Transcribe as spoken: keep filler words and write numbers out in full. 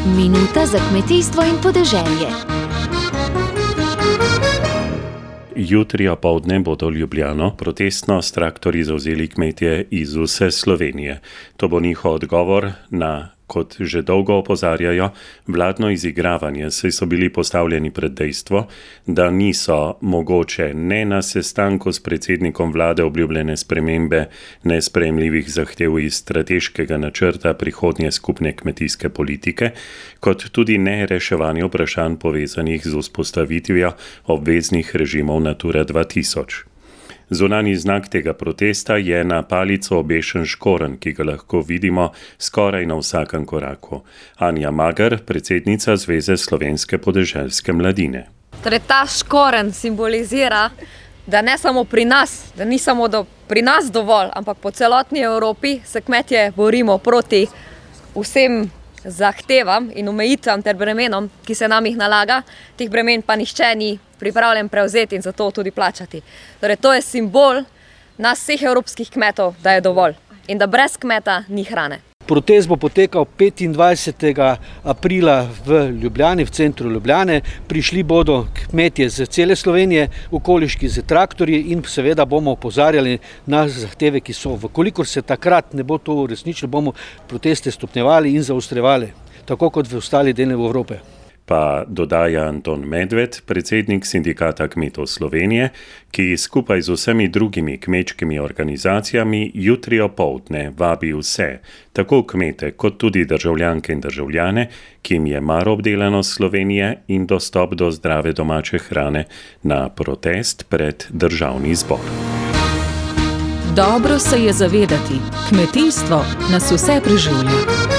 Minuta za kmetijstvo in podeželje. Jutri opoldne bodo Ljubljano protestno s traktorji zavzeli kmetje iz vse Slovenije. To bo njihov odgovor na, kot že dolgo opozarjajo, vladno izigravanje, saj so bili postavljeni pred dejstvo, da niso mogoče ne na sestanku s predsednikom vlade obljubljene spremembe nesprejemljivih zahtev iz strateškega načrta prihodnje skupne kmetijske politike, kot tudi ne reševanje vprašanj povezanih z vzpostavitvijo obveznih režimov Natura dva tisoč. Zunanji znak tega protesta je na palico obešen škorenj, ki ga lahko vidimo skoraj na vsakem koraku. Anja Mager, predsednica Zveze slovenske podeželske mladine. Torej, ta škorenj simbolizira, da ne samo pri nas, da ni samo do, pri nas dovolj, ampak po celotni Evropi se kmetje borimo proti vsem zahtevam in omejitvam ter bremenom, ki se nam jih nalaga. Teh bremen pa nihče ni pripravljen prevzeti in zato tudi plačati. Torej, to je simbol nas vseh evropskih kmetov, da je dovolj in da brez kmeta ni hrane. Protest bo potekal petindvajsetega aprila v Ljubljani, v centru Ljubljane. Prišli bodo kmetje z cele Slovenije, okoliški z traktorji in seveda bomo opozarjali na zahteve, ki so. Vkolikor se takrat ne bo to uresničilo, bomo proteste stopnjevali in zaostrevali, tako kot v ostali deli Evrope. Pa dodaja Anton Medved, predsednik Sindikata kmetov Slovenije, ki skupaj z vsemi drugimi kmečkimi organizacijami jutri opoldne vabi vse, tako kmete kot tudi državljanke in državljane, ki jim je mar obdelanost Slovenije in dostop do zdrave domače hrane, na protest pred Državni zbor. Dobro se je zavedati, kmetijstvo nas vse preživlja.